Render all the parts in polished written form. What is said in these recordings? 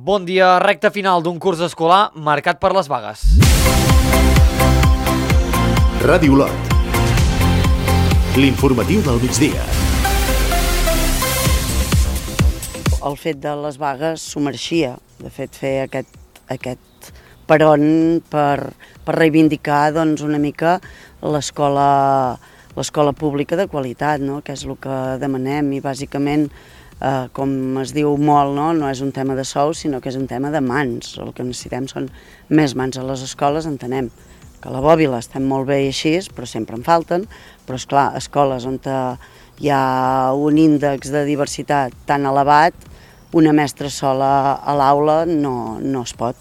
Bon dia, recta final d'un curs escolar marcat per les vagues. Ràdio Olot, l'informatiu del migdia. El fet de les vagues s'ho mereixia, de fet, fer aquest peron per reivindicar una mica l'escola pública de qualitat, no? Que és el que demanem i bàsicament, com es diu molt, no és un tema de sous, sinó que és un tema de mans. El que necessitem són més mans a les escoles, entenem que a la Bòbila estem molt bé i així, però sempre en falten, però esclar, escoles on hi ha un índex de diversitat tan elevat, una mestra sola a l'aula no es pot.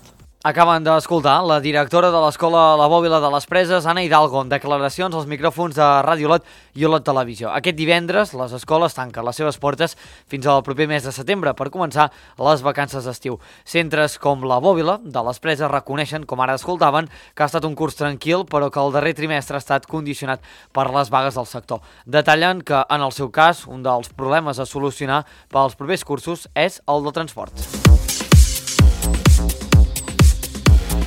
Acaben d'escoltar la directora de l'escola La Bòbila de les Preses, Anna Hidalgo, en declaracions als micròfons de Ràdio Olot i Olot Televisió. Aquest divendres les escoles tanquen les seves portes fins al proper mes de setembre per començar les vacances d'estiu. Centres com La Bòbila de les Preses reconeixen, com ara escoltaven, que ha estat un curs tranquil, però que el darrer trimestre ha estat condicionat per les vagues del sector. Detallen que, en el seu cas, un dels problemes a solucionar pels propers cursos és el del transport.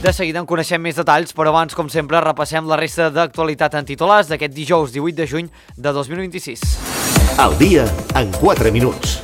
De seguida en coneixem més detalls, però abans, com sempre, repassem la resta d'actualitat en titulars d'aquest dijous 18 de juny de 2026. Al dia, en 4 minuts.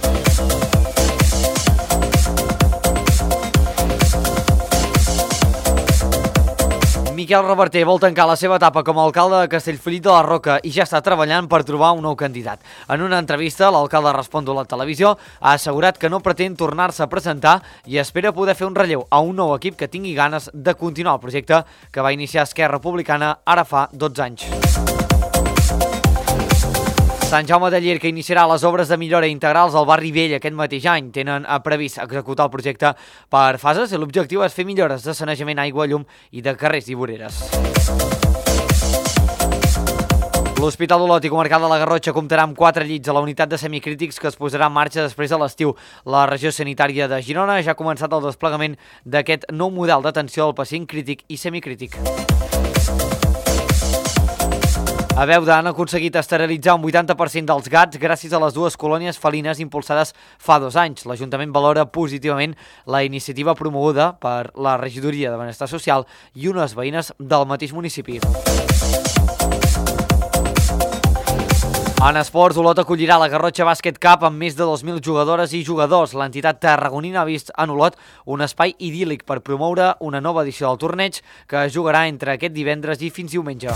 Miquel Reverter vol tancar la seva etapa com a alcalde de Castellfollit de la Roca i ja està treballant per trobar un nou candidat. En una entrevista, l'alcalde respon a la televisió, ha assegurat que no pretén tornar-se a presentar i espera poder fer un relleu a un nou equip que tingui ganes de continuar el projecte que va iniciar Esquerra Republicana ara fa 12 anys. Sant Jaume de Llierca iniciarà les obres de millora integrals al barri vell aquest mateix any. Tenen previst executar el projecte per fases i l'objectiu és fer millores de sanejament, aigua, llum i de carrers i voreres. L'Hospital d'Olot i Comarcal de la Garrotxa comptarà amb 4 llits a la unitat de semicrítics que es posarà en marxa després de l'estiu. La regió sanitària de Girona ja ha començat el desplegament d'aquest nou model d'atenció al pacient crític i semicrític. A Beuda han aconseguit esterilitzar un 80% dels gats gràcies a les 2 colònies felines impulsades fa 2 anys. L'Ajuntament valora positivament la iniciativa promoguda per la Regidoria de Benestar Social i unes veïnes del mateix municipi. En esports, Olot acollirà la Garrotxa Bàsquet Cup amb més de 2.000 jugadores i jugadors. L'entitat tarragonina ha vist en Olot un espai idíl·lic per promoure una nova edició del torneig que es jugarà entre aquest divendres i fins diumenge.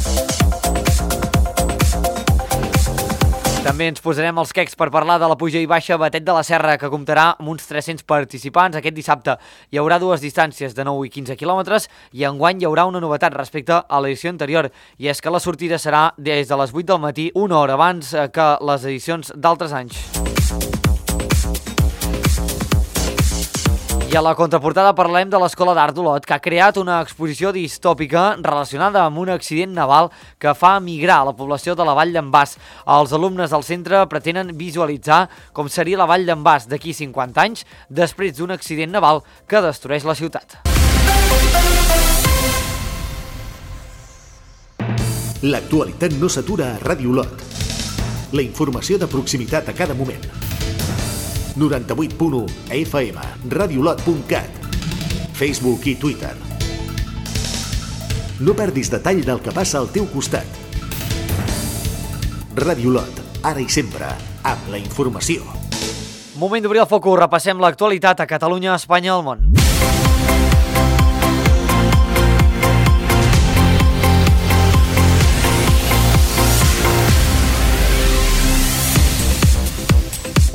També ens posarem els quecs per parlar de la puja i baixa Batet de la Serra, que comptarà amb uns 300 participants. Aquest dissabte hi haurà 2 distàncies de 9 i 15 quilòmetres i enguany hi haurà una novetat respecte a l'edició anterior, i és que la sortida serà des de les 8 del matí, una hora abans que les edicions d'altres anys. I a la contraportada parlem de l'Escola d'Art d'Olot, que ha creat una exposició distòpica relacionada amb un accident naval que fa migrar la població de la Vall d'en Bas. Els alumnes del centre pretenen visualitzar com seria la Vall d'en Bas d'aquí 50 anys després d'un accident naval que destrueix la ciutat. L'actualitat no s'atura a Ràdio Olot. La informació de proximitat a cada moment. 98.1 FM, radiolot.cat, Facebook i Twitter. No perdis detall del que passa al teu costat. Ràdio Olot, ara i sempre, amb la informació. Moment d'obrir el focus, repassem l'actualitat a Catalunya, Espanya i el món.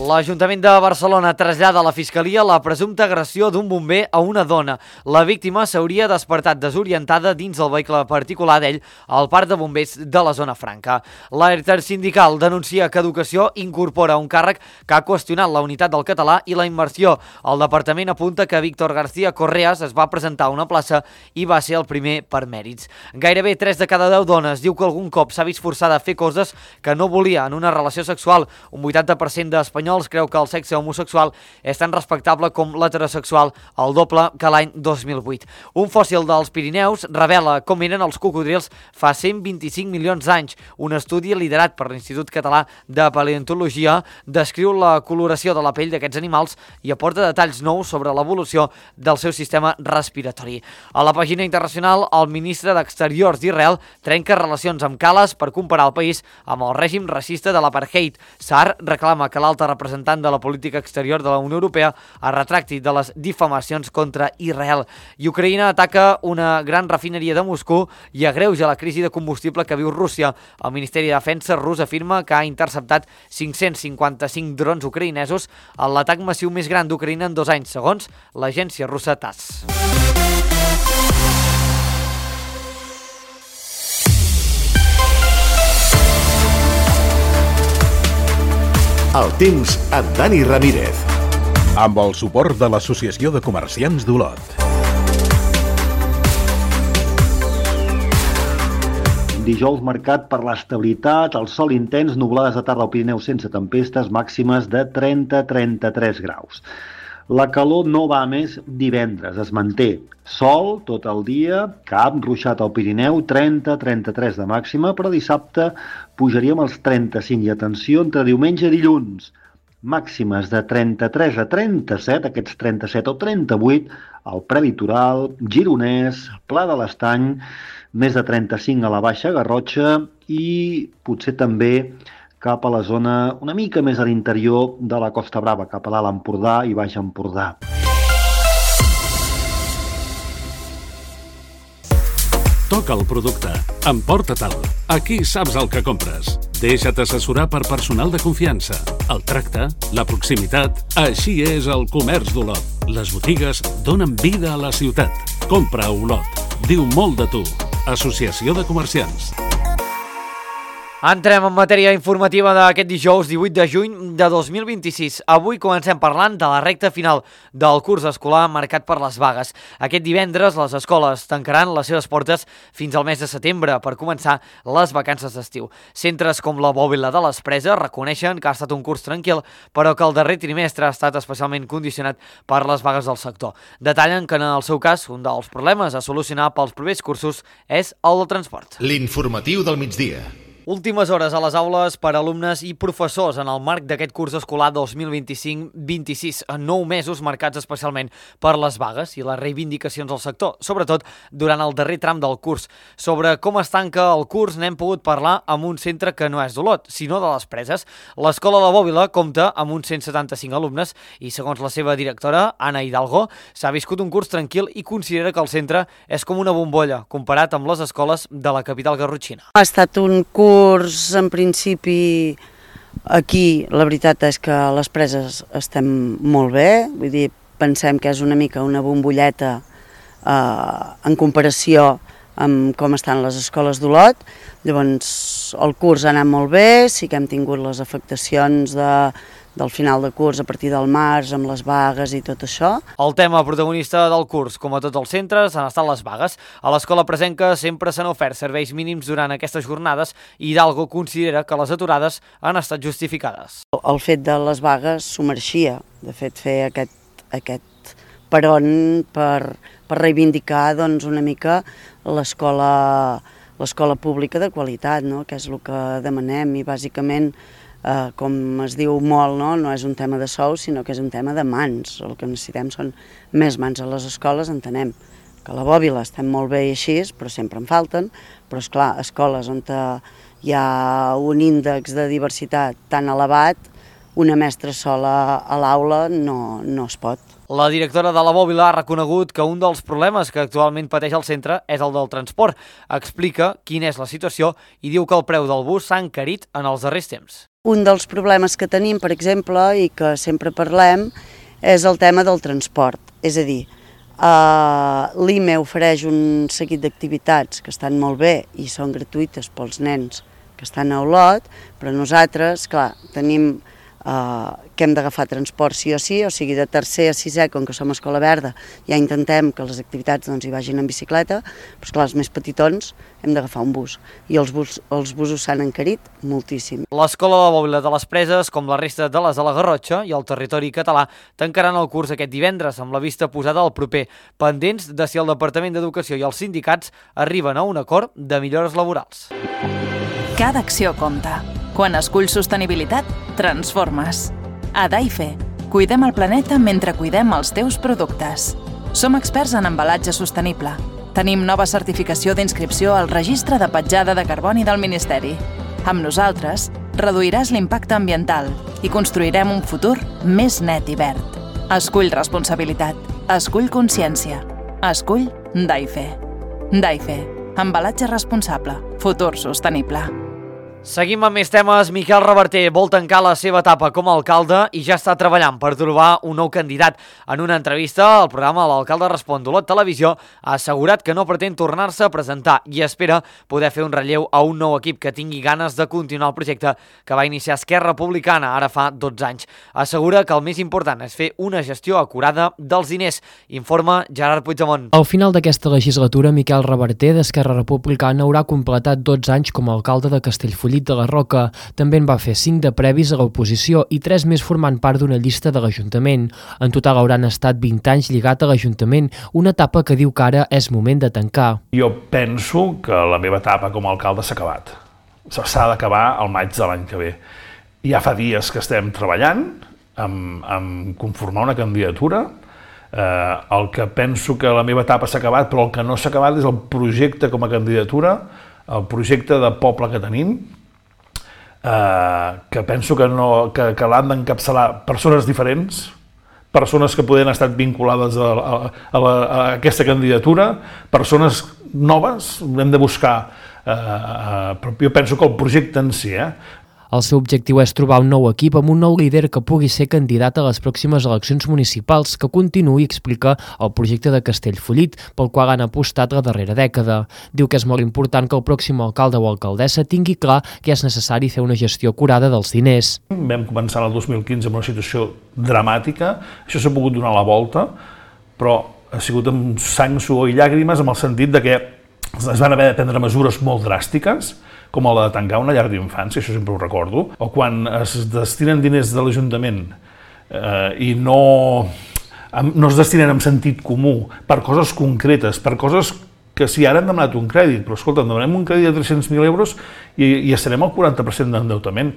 L'Ajuntament de Barcelona trasllada a la Fiscalia la presumpta agressió d'un bomber a una dona. La víctima s'hauria despertat desorientada dins del vehicle particular d'ell al parc de bombers de la zona franca. La intersindical denuncia que Educació incorpora un càrrec que ha qüestionat la unitat del català i la immersió. El departament apunta que Víctor García Correas es va presentar a una plaça i va ser el primer per mèrits. Gairebé 3 de cada 10 dones diu que algun cop s'ha vist forçada a fer coses que no volia en una relació sexual. Un 80% d'espanyols Espanyols creu que el sexe homosexual és tan respectable com l'heterosexual, el doble que l'any 2008. Un fòssil dels Pirineus revela com eren els cocodrils fa 125 milions d'anys. Un estudi liderat per l'Institut Català de Paleontologia descriu la coloració de la pell d'aquests animals i aporta detalls nous sobre l'evolució del seu sistema respiratori. A la pàgina internacional, el ministre d'Exteriors d'Israel trenca relacions amb Cales per comparar el país amb el règim racista de l'apartheid. Saar reclama que l'alta representant de la política exterior de la Unió Europea es retracti de les difamacions contra Israel. I Ucraïna ataca una gran refineria de Moscou i agreuja la crisi de combustible que viu Rússia. El Ministeri de Defensa rus afirma que ha interceptat 555 drons ucraïnesos en l'atac massiu més gran d'Ucraïna en 2 anys, segons l'agència russa TASS. El temps amb Dani Ramírez. Amb el suport de l'Associació de Comerciants d'Olot. Dijous marcat per l'estabilitat, el sol intens, nublades de tarda al Pirineu sense tempestes, màximes de 30-33 graus. La calor no va a més divendres, es manté. Sol tot el dia, cap ruixat al Pirineu, 30-33 de màxima, però dissabte pujaríem als 35 i atenció entre diumenge i dilluns. Màximes de 33 a 37, aquests 37 o 38, al prelitoral, gironès, Pla de l'Estany, més de 35 a la Baixa Garrotxa i potser també cap a la zona una mica més a l'interior de la Costa Brava, cap a l'Alt Empordà i Baix Empordà. Toca el producte. Emporta-te'l. Aquí saps el que compres. Deixa't assessorar per personal de confiança. El tracte, la proximitat... Així és el comerç d'Olot. Les botigues donen vida a la ciutat. Compra a Olot. Diu molt de tu. Associació de Comerciants. Entrem en matèria informativa d'aquest dijous 18 de juny de 2026. Avui comencem parlant de la recta final del curs escolar marcat per les vagues. Aquest divendres les escoles tancaran les seves portes fins al mes de setembre per començar les vacances d'estiu. Centres com la Bòbila de les Preses reconeixen que ha estat un curs tranquil, però que el darrer trimestre ha estat especialment condicionat per les vagues del sector. Detallen que en el seu cas un dels problemes a solucionar pels propers cursos és el del transport. L'informatiu del migdia. Últimes hores a les aules per a alumnes i professors en el marc d'aquest curs escolar 2025-26, en 9 mesos marcats especialment per les vagues i les reivindicacions del sector, sobretot durant el darrer tram del curs. Sobre com es tanca el curs n'hem pogut parlar amb un centre que no és d'Olot, sinó de les Preses. L'escola La Bòbila compta amb uns 175 alumnes i, segons la seva directora, Anna Hidalgo, s'ha viscut un curs tranquil i considera que el centre és com una bombolla, comparat amb les escoles de la capital garrotxina. Ha estat un curs, en principi, aquí la veritat és que a les Preses estem molt bé, vull dir, pensem que és una mica una bombolleta en comparació amb com estan les escoles d'Olot. Llavors el curs ha anat molt bé, sí que hem tingut les afectacions del final de curs a partir del març, amb les vagues i tot això. El tema protagonista del curs, com a tots els centres, han estat les vagues. A l'escola presenca sempre s'han ofert serveis mínims durant aquestes jornades i Hidalgo considera que les aturades han estat justificades. El fet de les vagues s'ho mereixia, de fet, fer aquest peron per reivindicar doncs, una mica l'escola pública de qualitat, no? Que és el que demanem i bàsicament, com es diu molt, no és un tema de sous, sinó que és un tema de mans. El que necessitem són més mans a les escoles, entenem que a la Bòbila estem molt bé i així, però sempre en falten, però esclar, escoles on hi ha un índex de diversitat tan elevat, una mestra sola a l'aula no es pot. La directora de la Bòbila ha reconegut que un dels problemes que actualment pateix el centre és el del transport. Explica quina és la situació i diu que el preu del bus s'ha encarit en els darrers temps. Un dels problemes que tenim, per exemple, i que sempre parlem, és el tema del transport. És a dir, l'IME ofereix un seguit d'activitats que estan molt bé i són gratuïtes pels nens que estan a Olot, però nosaltres, clar, tenim que hem d'agafar transport sí, o sigui, de tercer a sisè, com que som escola verda, ja intentem que les activitats hi vagin en bicicleta, però esclar, els més petitons hem d'agafar un bus, i els busos s'han encarit moltíssim. L'escola de la Bòbila de les Preses, com la resta de les de la Garrotxa i el territori català, tancaran el curs aquest divendres, amb la vista posada al proper, pendents de si el Departament d'Educació i els sindicats arriben a un acord de millores laborals. Cada acció compta. Quan esculls sostenibilitat, transformes. A Daife, cuidem el planeta mentre cuidem els teus productes. Som experts en embalatge sostenible. Tenim nova certificació d'inscripció al Registre de Petjada de Carboni del Ministeri. Amb nosaltres, reduiràs l'impacte ambiental i construirem un futur més net i verd. Escull responsabilitat. Escull consciència. Escull Daife. Daife. Embalatge responsable. Futur sostenible. Seguim amb més temes. Miquel Reverter vol tancar la seva etapa com a alcalde i ja està treballant per trobar un nou candidat. En una entrevista al programa L'Alcalde Respon d'Olot Televisió ha assegurat que no pretén tornar-se a presentar i espera poder fer un relleu a un nou equip que tingui ganes de continuar el projecte que va iniciar Esquerra Republicana ara fa 12 anys. Assegura que el més important és fer una gestió acurada dels diners, informa Gerard Puigdemont. Al final d'aquesta legislatura, Miquel Reverter d'Esquerra Republicana haurà completat 12 anys com a alcalde de Castellfollit de la Roca. També en va fer 5 de previs a l'oposició i 3 més formant part d'una llista de l'Ajuntament. En total hauran estat 20 anys lligat a l'Ajuntament, una etapa que diu que ara és moment de tancar. Jo penso que la meva etapa com a alcalde s'ha acabat. S'ha d'acabar al maig de l'any que ve. Ja fa dies que estem treballant en conformar una candidatura. El que penso que la meva etapa s'ha acabat, però el que no s'ha acabat és el projecte com a candidatura, el projecte de poble que tenim, que penso que l'han d'encapçalar persones diferents, persones que poden estar vinculades a aquesta candidatura, persones noves, hem de buscar, però jo penso que el projecte en si, El seu objectiu és trobar un nou equip amb un nou líder que pugui ser candidat a les pròximes eleccions municipals, que continuï, explica, el projecte de Castellfollit, pel qual han apostat la darrera dècada. Diu que és molt important que el pròxim alcalde o alcaldessa tingui clar que és necessari fer una gestió acurada dels diners. Vam començar el 2015 amb una situació dramàtica, això s'ha pogut donar la volta, però ha sigut amb sang, suor i llàgrimes, amb el sentit de que es van haver de prendre mesures molt dràstiques, com la de tancar una llar d'infància, això sempre ho recordo, o quan es destinen diners de l'Ajuntament i no es destinen amb sentit comú per coses concretes, per coses que si ara hem demanat un crèdit, però escolta, demanem un crèdit de 300.000 euros i estarem al 40% d'endeutament.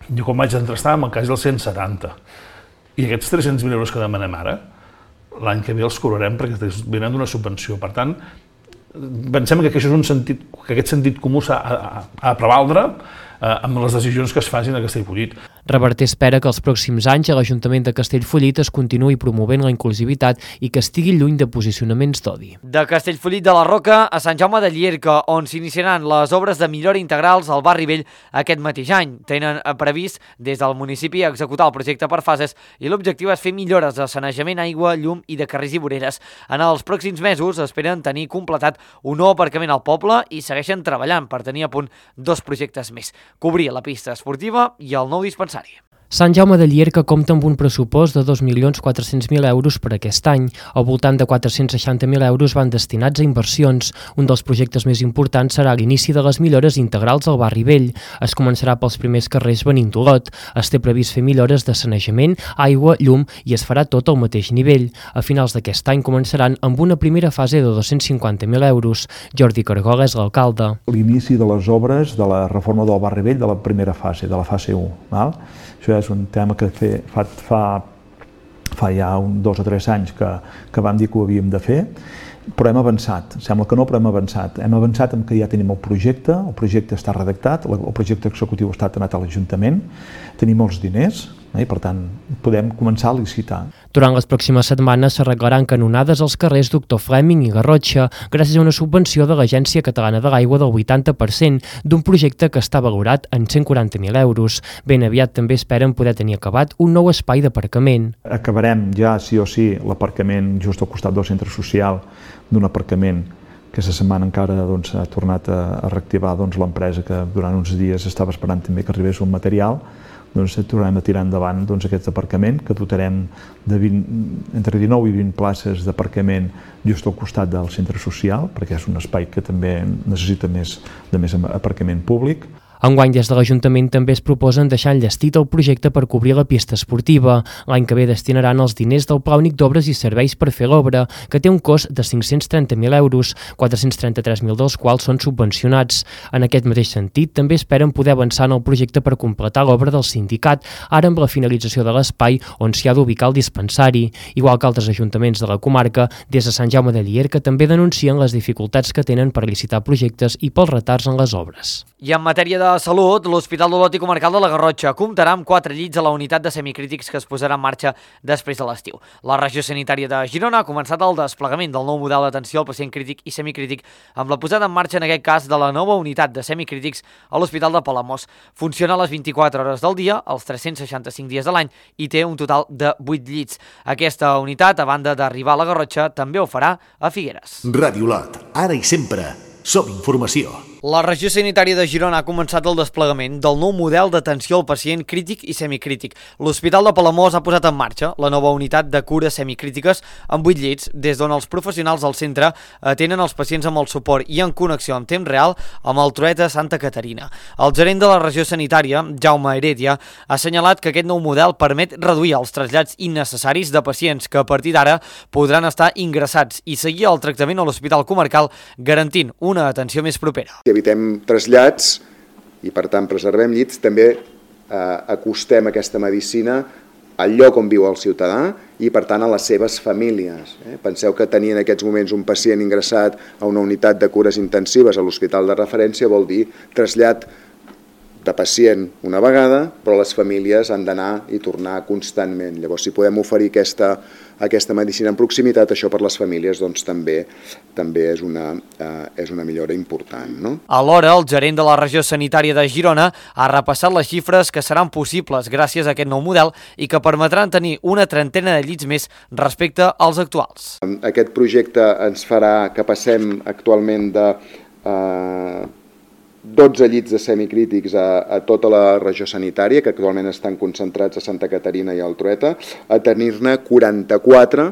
Jo quan vaig entrar estàvem al cas dels 170. I aquests 300.000 euros que demanem ara, l'any que ve els cobrarem perquè venen d'una subvenció. Per tant, pensem que aquest sentit comú s'ha de prevaldre amb les decisions que es facin a Castellfollit. Reverter espera que els pròxims anys a l'Ajuntament de Castellfollit es continuï promovent la inclusivitat i que estigui lluny de posicionaments d'odi. De Castellfollit de la Roca a Sant Jaume de Llierca, on s'iniciaran les obres de millora integrals al barri vell aquest mateix any. Tenen previst des del municipi executar el projecte per fases i l'objectiu és fer millores de sanejament, aigua, llum i de carrers i voreres. En els pròxims mesos esperen tenir completat un nou aparcament al poble i segueixen treballant per tenir a punt 2 projectes més: cobrir la pista esportiva i el nou dispensari. Sant Jaume de Llierca compta amb un pressupost de 2.400.000 euros per aquest any. Al voltant de 460.000 euros van destinats a inversions. Un dels projectes més importants serà l'inici de les millores integrals al barri vell. Es començarà pels primers carrers venint d'Olot. Es té previst fer millores de sanejament, aigua, llum i es farà tot al mateix nivell. A finals d'aquest any començaran amb una primera fase de 250.000 euros. Jordi Cargola és l'alcalde. L'inici de les obres de la reforma del barri vell de la primera fase, de la fase 1. Val? Això és un tema que fa ja 2 o 3 anys que vam dir que ho havíem de fer, però hem avançat. Sembla que no, però hem avançat. Hem avançat en que ja tenim el projecte està redactat, el projecte executiu està anat a l'Ajuntament, tenim els diners i, per tant, podem començar a licitar. Durant les pròximes setmanes s'arreglaran canonades als carrers Doctor Fleming i Garrotxa gràcies a una subvenció de l'Agència Catalana de l'Aigua del 80% d'un projecte que està valorat en 140.000 euros. Ben aviat també esperen poder tenir acabat un nou espai d'aparcament. Acabarem ja sí o sí l'aparcament just al costat del centre social, d'un aparcament que aquesta setmana encara ha tornat a reactivar l'empresa que durant uns dies estava esperant també que arribés un material, tornarem a tirar endavant aquest aparcament, que dotarem entre 19 i 20 places d'aparcament just al costat del centre social, perquè és un espai que també necessita més aparcament públic. Enguany, des de l'Ajuntament també es proposen deixar enllestit el projecte per cobrir la pista esportiva. L'any que ve destinaran els diners del Pla Únic d'Obres i Serveis per fer l'obra, que té un cost de 530.000 euros, 433.000 dels quals són subvencionats. En aquest mateix sentit, també esperen poder avançar en el projecte per completar l'obra del sindicat, ara amb la finalització de l'espai on s'hi ha d'ubicar el dispensari. Igual que altres ajuntaments de la comarca, des de Sant Jaume de Llierca també denuncien les dificultats que tenen per licitar projectes i pels retards en les obres. I en matèria de salut, l'Hospital d'Olot i Comarcal de la Garrotxa comptarà amb 4 llits a la unitat de semicrítics que es posarà en marxa després de l'estiu. La regió sanitària de Girona ha començat el desplegament del nou model d'atenció al pacient crític i semicrític amb la posada en marxa, en aquest cas, de la nova unitat de semicrítics a l'Hospital de Palamós. Funciona a les 24 hores del dia, els 365 dies de l'any, i té un total de 8 llits. Aquesta unitat, a banda d'arribar a la Garrotxa, també ho farà a Figueres. Ràdio Olot, ara i sempre, som informació. La regió sanitària de Girona ha començat el desplegament del nou model d'atenció al pacient crític i semicrític. L'Hospital de Palamós ha posat en marxa la nova unitat de cures semicrítiques amb 8 llits, des d'on els professionals del centre atenen els pacients amb el suport i en connexió en temps real amb el Trueta Santa Caterina. El gerent de la regió sanitària, Jaume Heredia, ha assenyalat que aquest nou model permet reduir els trasllats innecessaris de pacients que a partir d'ara podran estar ingressats i seguir el tractament a l'Hospital Comarcal, garantint una atenció més propera. Evitem trasllats i, per tant, preservem llits. També acostem aquesta medicina al lloc on viu el ciutadà i, per tant, a les seves famílies. Penseu que tenir en aquests moments un pacient ingressat a una unitat de cures intensives a l'hospital de referència vol dir trasllat de pacient una vegada, però les famílies han d'anar i tornar constantment. Llavors, si podem oferir aquesta medicina en proximitat, això per les famílies doncs, també és una millora important. No? Alhora, el gerent de la regió sanitària de Girona ha repassat les xifres que seran possibles gràcies a aquest nou model i que permetran tenir una trentena de llits més respecte als actuals. Aquest projecte ens farà que passem actualment de 12 llits de semicrítics a tota la regió sanitària, que actualment estan concentrats a Santa Caterina i al Trueta, a tenir-ne 44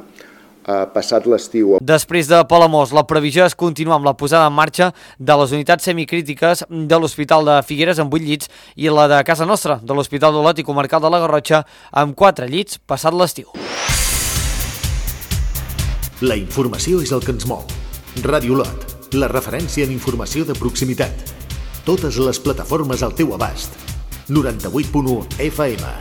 passat l'estiu. Després de Palamós, la previsió és continuar amb la posada en marxa de les unitats semicrítiques de l'Hospital de Figueres amb 8 llits i la de casa nostra, de l'Hospital d'Olot i Comarcal de la Garrotxa, amb 4 llits passat l'estiu. La informació és el que ens mou. Ràdio Olot, la referència en informació de proximitat. Totes les plataformes al teu abast. 98.1 FM,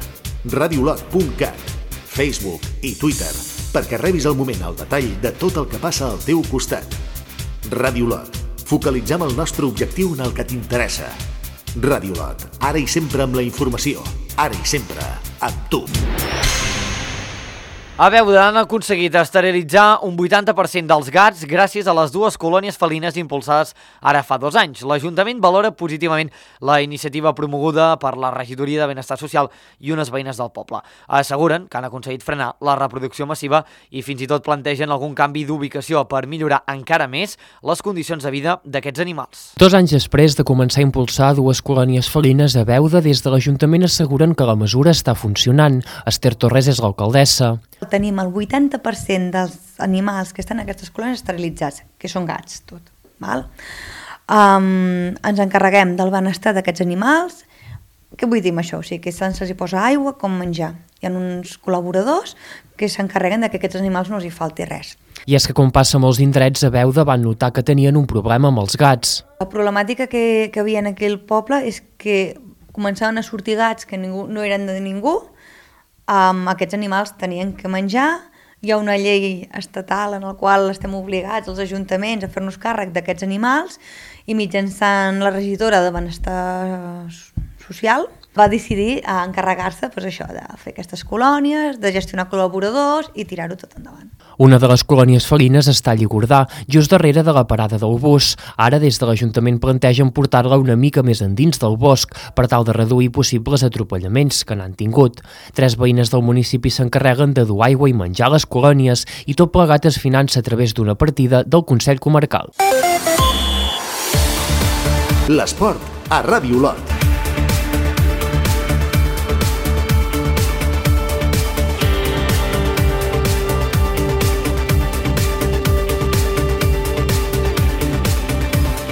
radiolot.cat, Facebook i Twitter, perquè rebis al moment el detall de tot el que passa al teu costat. Ràdio Olot, focalitzem el nostre objectiu en el que t'interessa. Ràdio Olot, ara i sempre amb la informació, ara i sempre amb tu. A Beuda han aconseguit esterilitzar un 80% dels gats gràcies a les 2 colònies felines impulsades ara fa 2 anys. L'Ajuntament valora positivament la iniciativa promoguda per la Regidoria de Benestar Social i unes veïnes del poble. Asseguren que han aconseguit frenar la reproducció massiva i fins i tot plantegen algun canvi d'ubicació per millorar encara més les condicions de vida d'aquests animals. 2 anys després de començar a impulsar 2 colònies felines a Beuda, des de l'Ajuntament asseguren que la mesura està funcionant. Esther Torres és l'alcaldessa. Tenim el 80% dels animals que estan en aquestes colònies esterilitzats, que són gats, tot. Val? Ens encarreguem del benestar d'aquests animals. Què vull dir amb això? O sigui, que se'ls hi posa aigua com menjar. Hi ha uns col·laboradors que s'encarreguen de que aquests animals no els hi falti res. I és que, com passa a molts indrets, a Beuda van notar que tenien un problema amb els gats. La problemàtica que havia en aquell poble és que començaven a sortir gats que no eren de ningú. Aquests animals tenien que menjar. Hi ha una llei estatal en la qual estem obligats els ajuntaments a fer-nos càrrec d'aquests animals i mitjançant la regidora de Benestar Social va decidir encarregar-se de fer aquestes colònies, de gestionar col·laboradors i tirar-ho tot endavant. Una de les colònies felines està a Lligordà, just darrere de la parada del bus. Ara, des de l'Ajuntament, plantegen portar-la una mica més endins del bosc per tal de reduir possibles atropellaments que n'han tingut. 3 veïnes del municipi s'encarreguen de dur aigua i menjar a les colònies i tot plegat es finança a través d'una partida del Consell Comarcal. L'esport a Ràdio Olot.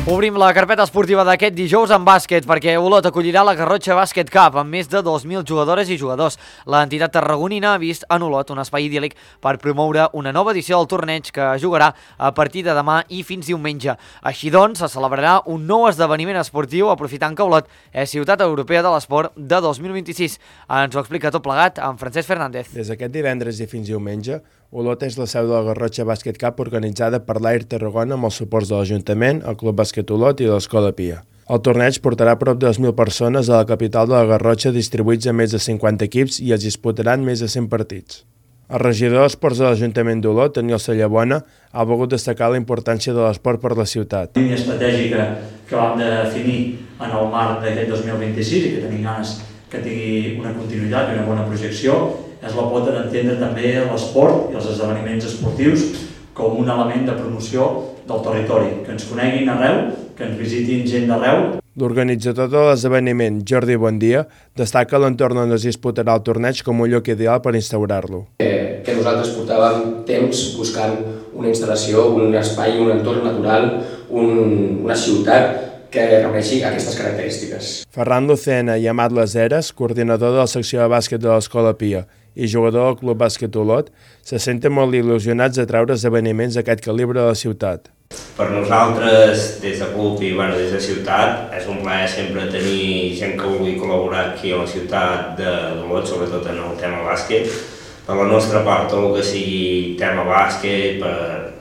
Obrim la carpeta esportiva d'aquest dijous en bàsquet perquè Olot acollirà la Garrotxa Bàsquet Cup amb més de 2.000 jugadores i jugadors. L'entitat tarragonina ha vist en Olot un espai idíl·lic per promoure una nova edició del torneig que jugarà a partir de demà i fins diumenge. Així doncs, se celebrarà un nou esdeveniment esportiu aprofitant que Olot és ciutat europea de l'esport de 2026. Ens ho explica tot plegat amb Francesc Fernández. Des d'aquest divendres i fins diumenge, Olot és la seu de la Garrotxa Bàsquet Cup organitzada per l'Air Tarragona amb els suports de l'Ajuntament, el Club Bàsquet Olot i l'Escola Pia. El torneig portarà prop de 2.000 persones a la capital de la Garrotxa distribuïts en més de 50 equips i es disputaran més de 100 partits. El regidor d'Esports de l'Ajuntament d'Olot, Daniel Sallabona, ha volgut destacar la importància de l'esport per la ciutat. La línia estratègica que vam definir en el marc d'aquest 2026 i que tenim ganes que tingui una continuïtat i una bona projecció és la pota d'entendre també l'esport i els esdeveniments esportius com un element de promoció del territori, que ens coneguin arreu, que ens visitin gent d'arreu. L'organitzador de l'esdeveniment, Jordi Bondia, destaca l'entorn on es disputarà el torneig com un lloc ideal per instaurar-lo. Que nosaltres portàvem temps buscant una instal·lació, un espai, un entorn natural, una ciutat que reuneixi aquestes característiques. Ferran Lucena i Amat Laseres, coordinador de la secció de bàsquet de l'Escola Pia i jugador del Club Bàsquet Olot, se senten molt il·lusionats de treure esdeveniments d'aquest calibre a la ciutat. Per nosaltres, des de club i des de ciutat, és un plaer sempre tenir gent que vulgui col·laborar aquí a la ciutat d'Olot, sobretot en el tema bàsquet. Per la nostra part, tot el que sigui tema bàsquet,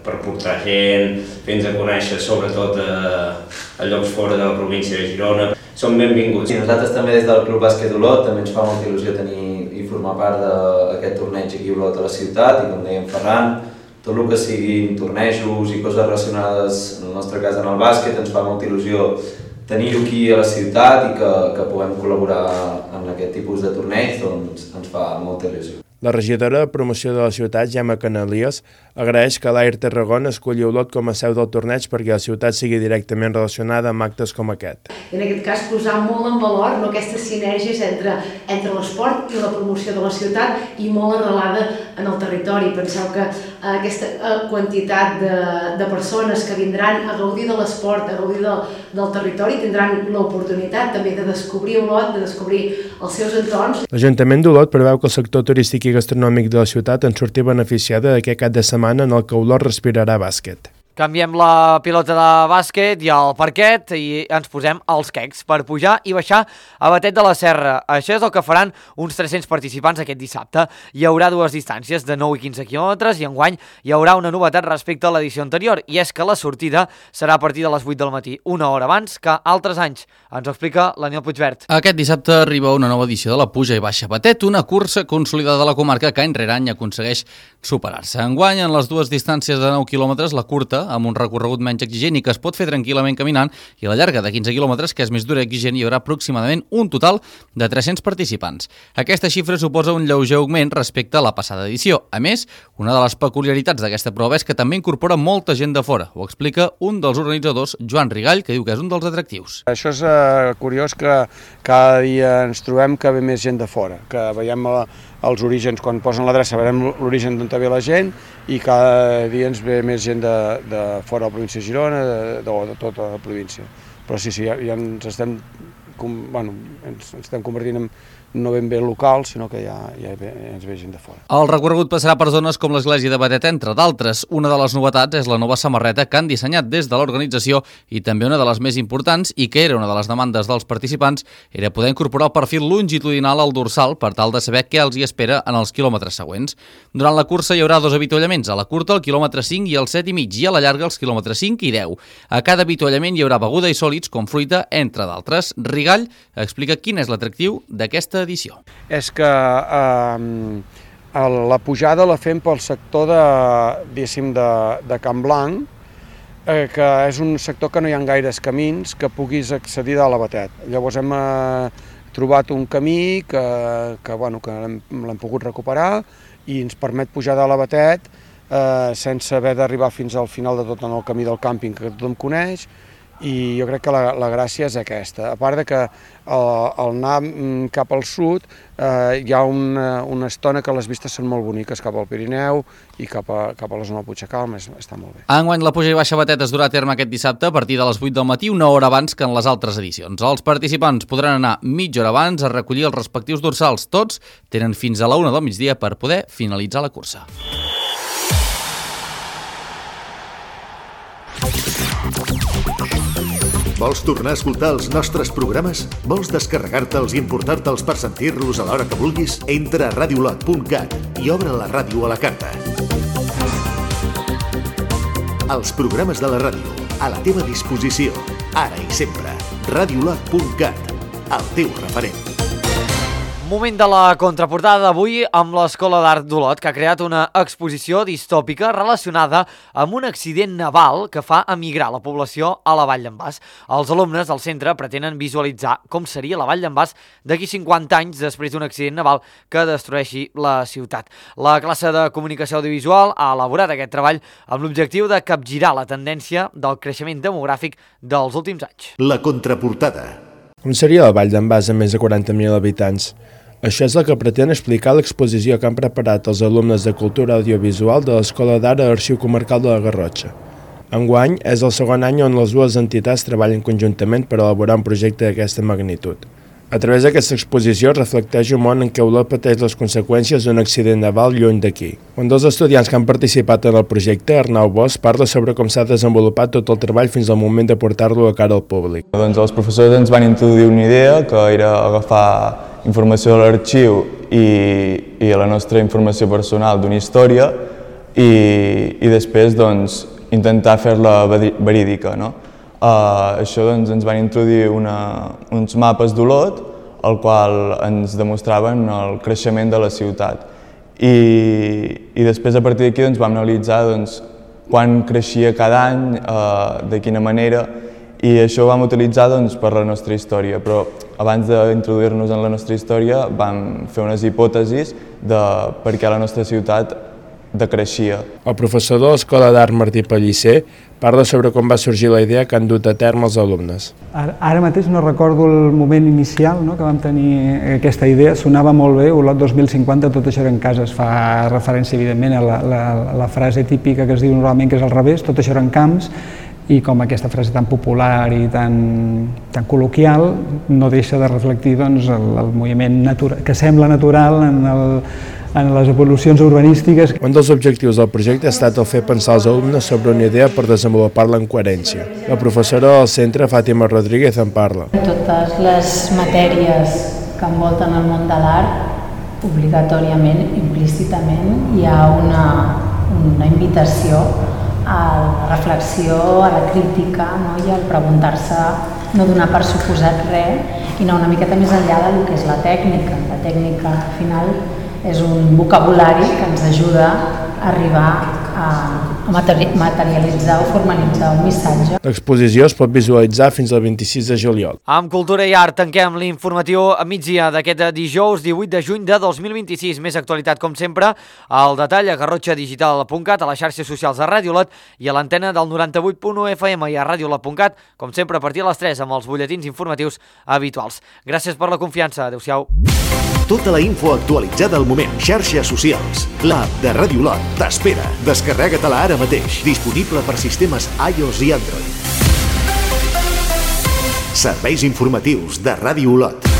per portar gent, fins a conèixer sobretot a llocs fora de la província de Girona, són benvinguts. I nosaltres també des del Club Bàsquet Olot també ens fa molta il·lusió tenir i formar part d'aquest torneig aquí a Olot a la ciutat i com deia en Ferran, tot el que siguin tornejos i coses relacionades, en el nostre cas en el bàsquet, ens fa molta il·lusió tenir-ho aquí a la ciutat i que puguem col·laborar en aquest tipus de torneig, doncs ens fa molta il·lusió. La regidora de promoció de la ciutat, Gemma Canalies, agraeix que l'Air Tarragona escolli Olot com a seu del torneig perquè la ciutat sigui directament relacionada amb actes com aquest. En aquest cas, posar molt en valor aquestes sinergies entre l'esport i la promoció de la ciutat i molt arrelada en el territori. Penseu que aquesta quantitat de persones que vindran a gaudir de l'esport, a gaudir del territori, tindran l'oportunitat també de descobrir Olot, de descobrir els seus entorns. L'Ajuntament d'Olot preveu que el sector turístic i gastronòmic de la ciutat en surti beneficiada d'aquest cap de setmana en el que Olot respirarà bàsquet. Canviem la pilota de bàsquet i el parquet i ens posem als quecs per pujar i baixar a Batet de la Serra. Això és el que faran uns 300 participants aquest dissabte. Hi haurà dues distàncies de 9 i 15 quilòmetres i enguany hi haurà una novetat respecte a l'edició anterior i és que la sortida serà a partir de les 8 del matí, una hora abans que altres anys. Ens ho explica l'Aniel Puigvert. Aquest dissabte arriba una nova edició de la Puja i Baixa Batet, una cursa consolidada de la comarca que any rere any aconsegueix superar-se. Enguany, en les dues distàncies de 9 quilòmetres, la curta, amb un recorregut menys exigent i que es pot fer tranquil·lament caminant, i la llarga de 15 quilòmetres, que és més dura i exigent, hi haurà aproximadament un total de 300 participants. Aquesta xifra suposa un lleuger augment respecte a la passada edició. A més, una de les peculiaritats d'aquesta prova és que també incorpora molta gent de fora. Ho explica un dels organitzadors, Joan Rigall, que diu que és un dels atractius. Això és curiós que cada dia ens trobem que ve més gent de fora, que veiem els orígens, quan posen l'adreça veiem l'origen d'on ve la gent i cada dia ens ve més gent de fora de la província de Girona, de tota la província. Però sí, ja ens estem convertint en no ben bé local, sinó que ja ens ve gent de fora. El recorregut passarà per zones com l'església de Batet, entre d'altres. Una de les novetats és la nova samarreta que han dissenyat des de l'organització i també una de les més importants i que era una de les demandes dels participants era poder incorporar el perfil longitudinal al dorsal per tal de saber què els hi espera en els quilòmetres següents. Durant la cursa hi haurà dos avituallaments, a la curta el quilòmetre 5 i el 7,5 i a la llarga els quilòmetres 5 i 10. A cada avituallament hi haurà beguda i sòlids com fruita, entre d'altres. Rigall explica quin és l'atractiu d'aquesta edició. És que la pujada la fem pel sector de Can Blanc, que és un sector que no hi ha gaires camins que puguis accedir a la Batet. Llavors hem trobat un camí que l'hem pogut recuperar i ens permet pujar de la Batet sense haver d'arribar fins al final de tot en el camí del càmping que tothom coneix I jo crec que la gràcia és aquesta. A part de que al anar cap al sud hi ha una estona que les vistes són molt boniques cap al Pirineu i cap a la zona del Puigcalm, està molt bé. Enguany la puja i baixa Batet es durà a terme aquest dissabte a partir de les 8 del matí, una hora abans que en les altres edicions. Els participants podran anar mitja hora abans a recollir els respectius dorsals. Tots tenen fins a la 1 del migdia per poder finalitzar la cursa. Vols tornar a escoltar els nostres programes? Vols descarregar-te'ls i importar-te'ls per sentir-los a l'hora que vulguis? Entra a radiolot.cat i obre la ràdio a la carta. Els programes de la ràdio, a la teva disposició, ara i sempre. Radiolot.cat, el teu referent. Moment de la contraportada d'avui amb l'Escola d'Art d'Olot, que ha creat una exposició distòpica relacionada amb un accident naval que fa emigrar la població a la Vall d'en Bas. Els alumnes del centre pretenen visualitzar com seria la Vall d'en Bas d'aquí 50 anys després d'un accident naval que destrueixi la ciutat. La classe de comunicació audiovisual ha elaborat aquest treball amb l'objectiu de capgirar la tendència del creixement demogràfic dels últims anys. La contraportada. Com seria la Vall d'en Bas amb més de 40.000 habitants? Això és el que pretén explicar l'exposició que han preparat els alumnes de Cultura Audiovisual de l'Escola d'Art a l'Arxiu Comarcal de la Garrotxa. Enguany és el segon any on les dues entitats treballen conjuntament per elaborar un projecte d'aquesta magnitud. A través d'aquesta exposició reflecteix un món en què Olot pateix les conseqüències d'un accident naval lluny d'aquí. Un dels estudiants que han participat en el projecte, Arnau Bosch, parla sobre com s'ha desenvolupat tot el treball fins al moment de portar-lo a cara al públic. Doncs els professors ens van introduir una idea que era agafar informació de l'arxiu i la nostra informació personal d'una història i després doncs, intentar fer-la verídica. No? Això doncs, ens van introduir uns mapes d'Olot, el qual ens demostraven el creixement de la ciutat. I després, a partir d'aquí, doncs, vam analitzar doncs, quan creixia cada any, de quina manera, i això ho vam utilitzar doncs, per la nostra història, però abans d'introduir-nos en la nostra història vam fer unes hipòtesis de per què la nostra ciutat decreixia. El professor de l'Escola d'Art Martí Pellicer parla sobre com va sorgir la idea que han dut a terme els alumnes. Ara mateix no recordo el moment inicial que vam tenir aquesta idea, sonava molt bé, Olot 2050, tot això eren cases, fa referència evidentment a la frase típica que es diu normalment que és al revés, tot això eren camps, i com aquesta frase tan popular i tan col·loquial no deixa de reflectir doncs, el moviment que sembla natural en les evolucions urbanístiques. Un dels objectius del projecte ha estat el fer pensar als alumnes sobre una idea per desenvolupar-la en coherència. La professora del centre, Fàtima Rodríguez, en parla. Totes les matèries que envolten el món de l'art, obligatòriament, implícitament, hi ha una invitació a la reflexió, a la crítica, no? I al preguntar-se, no donar per suposat res i anar una miqueta més enllà del que és la tècnica. La tècnica, al final, és un vocabulari que ens ajuda a arribar a materialitzar o formalitzar un missatge. L'exposició es pot visualitzar fins al 26 de juliol. Amb Cultura i Art tanquem l'informatiu a migdia d'aquest dijous 18 de juny de 2026. Més actualitat, com sempre, al detall a garrotxadigital.cat, a les xarxes socials de Ràdio Olot i a l'antena del 98.1 FM i a radiolot.cat, com sempre a partir de les 3 amb els butlletins informatius habituals. Gràcies per la confiança. Adéu-siau. Tota la info actualitzada al moment. Xarxes socials. L'app de Ràdio Olot t'espera. Descarrega-te-la ara mateix. Disponible per sistemes iOS i Android. Serveis informatius de Ràdio Olot.